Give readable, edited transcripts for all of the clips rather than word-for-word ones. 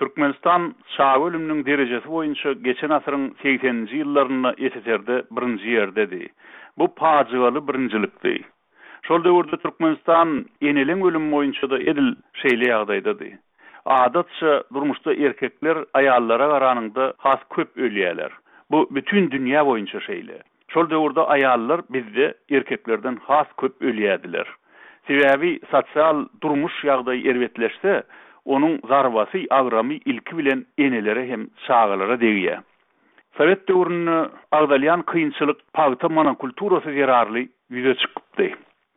Türkmenistan çaga ölüminiň derejesi boýunça geçen asyryň segseninji ýyllarynda SSR-de birinji ýerdedi. Bu pajygaly birinjilikdi. Şol döwürde Türkmenistan eneleň ölümi boýunça-da edil şeýle ýagdaýdady. Adatça, durmuşda erkekler aýallara garanyňda has köp ölýärler. Bu bütin dünýä boýunça şeýle. Şol döwürde aýallar bizde erkeklerden has köp ölýärdiler. Sebäbi sosial durmuş ýagdaýy erbetleşse, onuň zarbasy, agramy ilki bilen enelere hem çagalara degýär. Sowet döwründe agzalýan kynçylyk pagta monokulturasy zerarly ýüze çykypdy.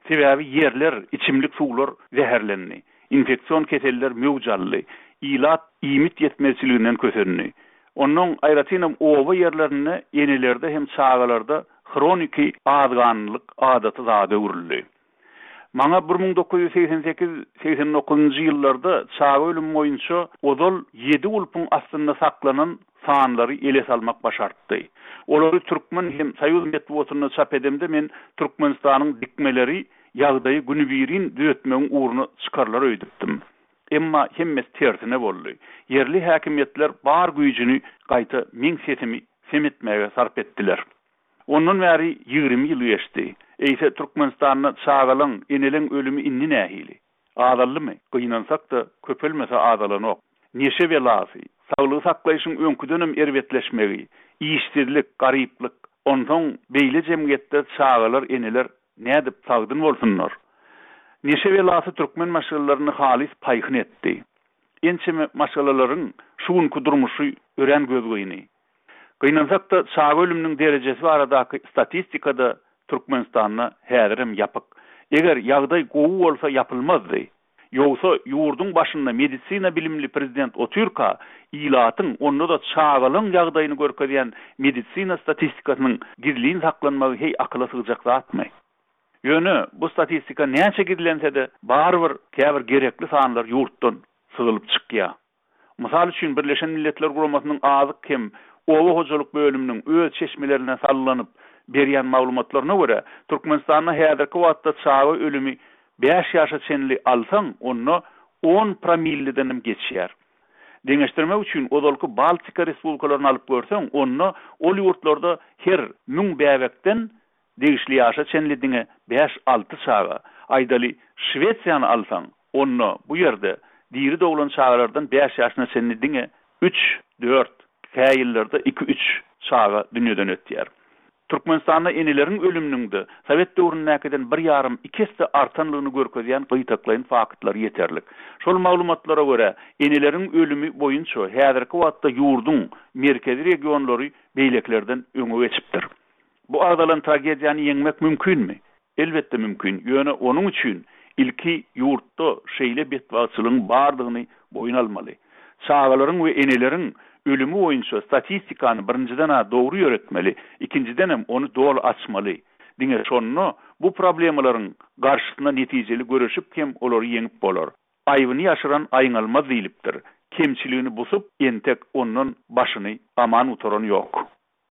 Sebäbi ýerler, içimlik suwlar zäherlendi. Infeksion keseller möwç aldy. Ilat iýmit ýetmezçiliginden kösendi. Onnoň, aýratynam oba ýerlerinde enelerde hem çagalarda hroniki azganlylyk adaty zada öwrüldi. Maňa 1988, 89-njy ýyllarda çaga ölümi boýunça ozal ýedi gulpuň astynda saklanan sanlary ele salmak başartdy. Olary türkmen hem soýuz metbugatynda çap edemde men Türkmenistanyň dikmeleri ýagdaýy günübirin düzetmegiň ugruna çykarlar öýdüpdim. Emma hemmesi tersine boldy. Ýerli häkimiýetler bar güýjüni gaýta meň sesimi sem etmäge sarp etdiler. Ondan bäri 20 ýyl geçdi. Eýse Türkmenistanda çagalaň, eneleň ölümi indi nähili? Azaldymy? Gynansak-da, köpelmese azalanok. Neşe belasy, saglygy saklaýşyň öňküdenem erbetleşmegi, işsizlik, garyplyk. Onsoň beýle jemgyýetde çagalar, eneler nädip sagdyn bolsunlar? Neşe belasy türkmen maşgalalaryny halys paýhyn etdi. Ençeme maşgalalaryň şu günki durmuşy örän gözgyny. Gynansak-da, çaga ölüminiň derejesi baradaky statistika-da Türkmenistanda häzirem ýapyk. Eger ýagdaý gowy bolsa ýapylmazdy. Ýogsa, ýurduň başynda medisina bilimli prezident otyrka, ilatyň, onda-da çagalaň ýagdaýyny görkezýän medisina statistikasynyň gizlin saklanmagy heý akyla sygjak zatmy? Ýöne, bu statistika näçe gizlense-de, barybir käbir gerekli sanlar ýurtdan syzylyp çykýar. Mysal üçin, Birleşen Milletler Guramasynyň Azyk hem oba hojalyk bölüminiň öz çeşmelerine salgylanyp berýän maglumatlaryna görä, Türkmenistanda häzirki wagtda çaga ölümi bäş ýaşa çenli alsaň, onda on promilledenem geçýär. Deňeşdirmek üçin, ozalky Baltika respublikalaryny alyp görseň, onda ol ýurtlarda her müň bäbekden Degişli ýaşa çenli diňe bäş-alty çaga, aýdaly, Şwesiýany alsaň, onda bu ýerde diri doglan çagalardan bäş ýaşyna çenli diňe üç, dört, kä ýyllarda iki-üç çaga dünýeden ötýär. Türkmenistanda eneleriň ölüminiň-de sowet döwründäkiden bir ýarym, iki esse artanlygyny görkezýän gytaklaýyn faktlar ýeterlik. Şol maglumatlara görä, eneleriň ölümi boýunça häzirki wagtda ýurduň merkezi regionlary beýlekilerden öňe geçipdir. Bu agzalan tragediýany ýeňmek mümkinmi? Elbetde mümkin, ýöne onuň üçin ilki ýurtda şeýle betbagtçylygyň bardygyny boýun almaly. Çagalaryň we eneleriň ölümi boýunça statistikany birinjiden-ä dogry ýöretmeli, ikinjidenem ony doly açmaly. Diňe şonda bu problemalaryň garşysyna netijeli göreşip hem olary ýeňip bolar. Aýbyny ýaşyran aýňalmaz diýlipdir. Kemçiligini busup, entek ondan başyny aman gutaran ýok.